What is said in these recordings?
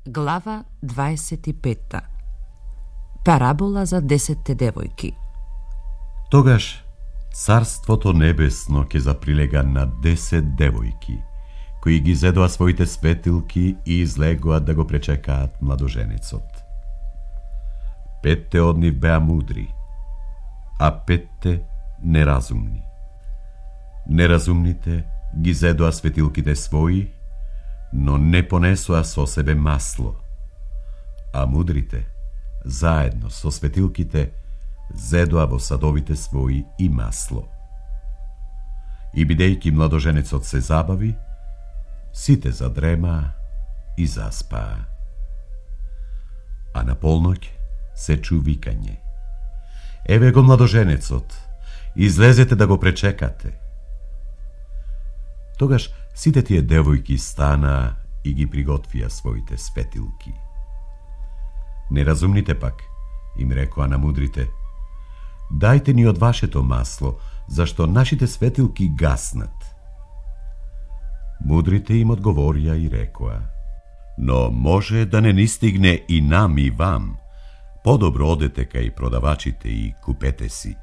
Глава 25. Парабола за 10 девојки. Тогаш Царството небесно ќе заприлега на 10 девојки, кои ги зедоа своите светилки и излегоа да го пречекаат младоженецот. 5 од нив беа мудри, а 5 неразумни. Неразумните ги зедоа светилките своји, но не понесоа со себе масло, а мудрите, заедно со светилките, зедоа во садовите своји и масло. И бидејќи младоженецот се забави, сите задремаа и заспаа. А на полноќ се чу викање: еве го младоженецот, излезете да го пречекате. Тогаш сите тие девојки станаа и ги приготвија своите светилки. Неразумните пак им рекоа на мудрите: дајте ни од вашето масло, зашто нашите светилки гаснат. Мудрите им одговорија и рекоа: но може да не ни стигне и нам и вам, подобро одете кај продавачите и купете си.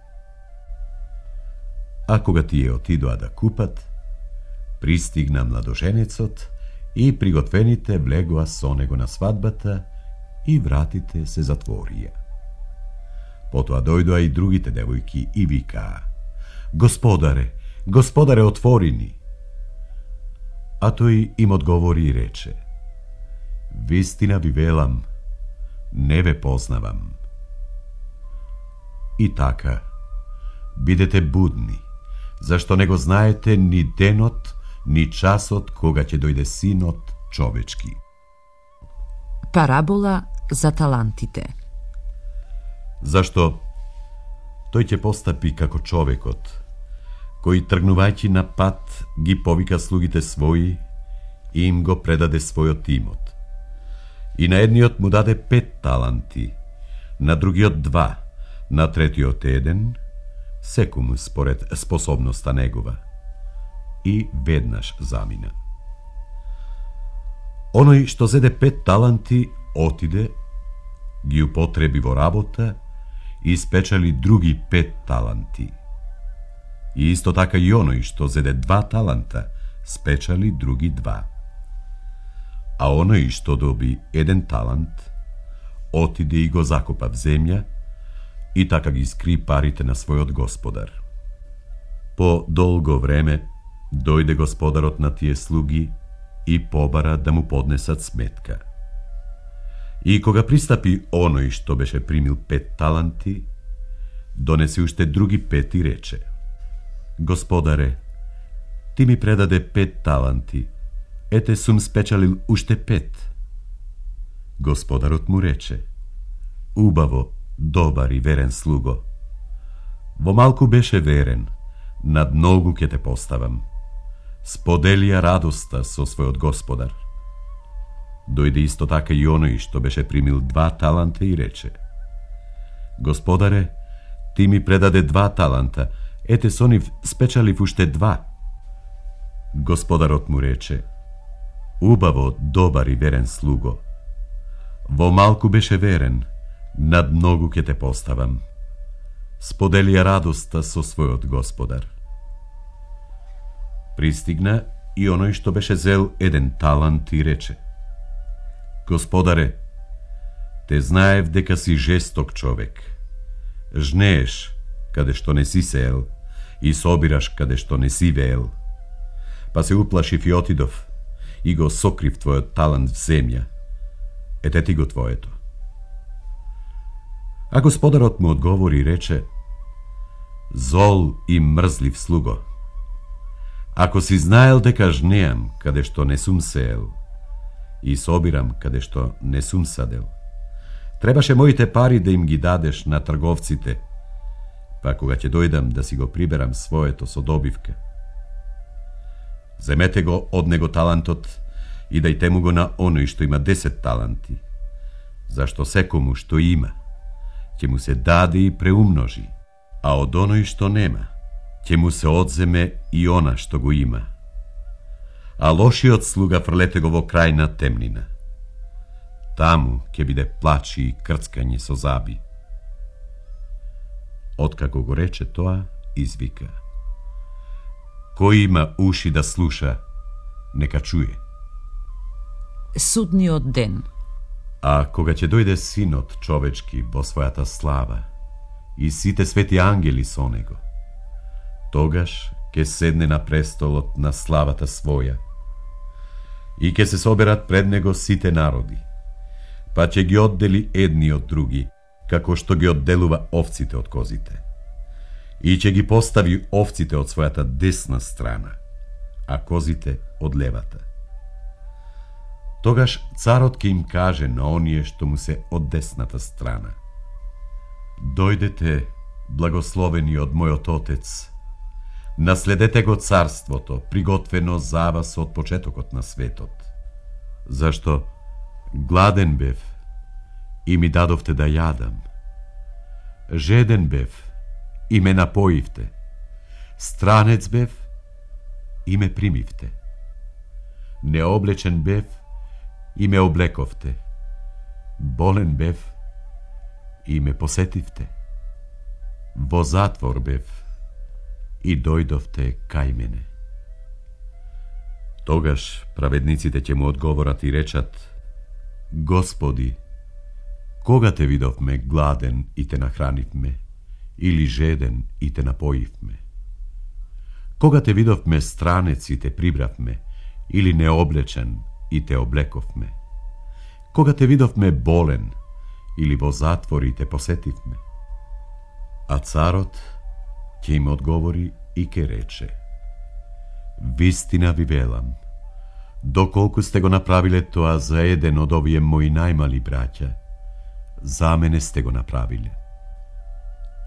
А кога тие отидоа да купат, пристигна младоженецот и приготвените влегоа со него на свадбата и вратите се затворија. Потоа дојдоа и другите девојки и викаа: Господаре, Господаре, отвори ни. А тој им одговори и рече: вистина ви велам, не ве познавам. И така, бидете будни, зашто не го знаете ни денот, ни часот кога ќе дојде Синот човечки. Парабола за талантите. Зашто тој ќе постапи како човекот, кој тргнувајќи на пат ги повика слугите своји и им го предаде својот имот. И на едниот му даде 5 таланти, на другиот 2, на третиот 1, секому според способноста негова. И веднаш замина. Оној што зеде 5 таланти отиде, ги употреби во работа и спечали други 5 таланти. И исто така и оној што зеде 2 таланта спечали други 2. А оној што доби 1 талант отиде и го закопа в земја и така ги скри парите на својот господар. По долго време дојде господарот на тие слуги и побара да му поднесат сметка. И кога пристапи оној што беше примил 5 таланти, донесе уште други 5 и рече: Господаре, ти ми предаде 5 таланти, ете сум спечалил уште 5. Господарот му рече: убаво, добар и верен слуго. Во малку беше верен, над многу ќе те поставам. Споделија радоста со својот господар. Дојде исто така и оној што беше примил 2 таланта и рече: Господаре, ти ми предаде 2 таланта, ете со нив спечалив уште 2. Господарот му рече: убаво, добар и верен слуго. Во малку беше верен, над многу ќе те поставам. Споделија радоста со својот господар. Пристигна и оној што беше зел 1 талант и рече: Господаре, те знаев дека си жесток човек. Жнееш каде што не си сеел и собираш каде што не си веел. Па се уплашив и отидов и го сокрив твојот талант в земја. Ете ти го твоето. А господарот му одговори и рече: зол и мрзлив слуго. Ако си знаел дека жнеам каде што не сум сеел и собирам каде што не сум садел, требаше моите пари да им ги дадеш на трговците, па кога ќе дојдам да си го приберам своето со добивка. Земете го од него талантот и дајте му го на оној што има 10 таланти, зашто секому што има ќе му се даде и преумножи, а од оној што нема ќе му се одземе и она што го има. А лошиот слуга фрлете го во крајна темнина. таму ќе биде плач и крцкање со заби. Откако го рече тоа, извика: Кој има уши да слуша, нека чуе. Судниот ден. А кога ќе дојде Синот човечки во својата слава и сите свети ангели со него, тогаш ќе седне на престолот на славата своја и ќе се соберат пред него сите народи, па ќе ги оддели едни од други, како што ги одделува овците од козите, и ќе ги постави овците од својата десна страна, а козите од левата. Тогаш царот ќе им каже на оние што му се од десната страна: Дојдете, благословени од мојот Отец, наследете го царството, приготвено за вас од почетокот на светот. Зашто гладен бев и ми дадовте да јадам, жеден бев и ме напоивте, странец бев и ме примивте, необлечен бев и ме облековте, болен бев и ме посетивте, во затвор бев и дојдовте кај мене. Тогаш праведниците ќе му одговорат и речат: Господи, кога те видовме гладен и те нахранивме, или жеден и те напоивме? Кога те видовме странец и те прибравме, или необлечен и те облековме? Кога те видовме болен или во затвор и те посетивме? А царот ќе им одговори и ќе рече: Вистина ви велам, доколку сте го направиле тоа за еден од овие мои најмали браќа, за мене сте го направиле.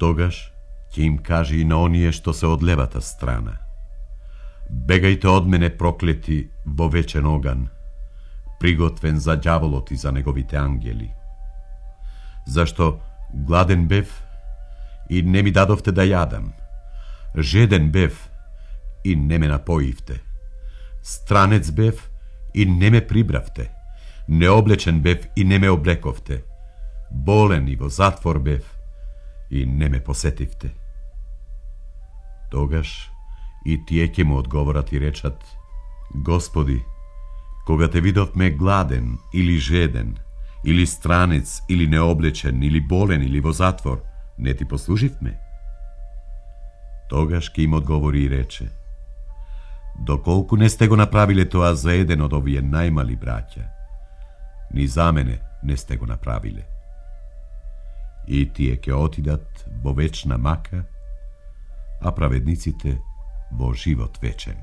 Тогаш ќе им каже и на оние што се од левата страна: Бегајте од мене, проклети, во вечен оган, приготвен за ѓаволот и за неговите ангели. Зашто гладен бев и не ми дадовте да јадам, жеден бев и не ме напоивте, странец бев и не ме прибравте, необлечен бев и не ме облековте, болен и во затвор бев и не ме посетивте. Тогаш и тие ќе му одговорат и речат: Господи, кога те видовме гладен или жеден, или странец, или необлечен, или болен, или во затвор, не ти послуживме? Тогаш ќе им одговори и рече: Доколку не сте го направиле тоа за еден од овие најмали браќа, ни за мене не сте го направиле. И тие ќе отидат во вечна мака, а праведниците во живот вечен.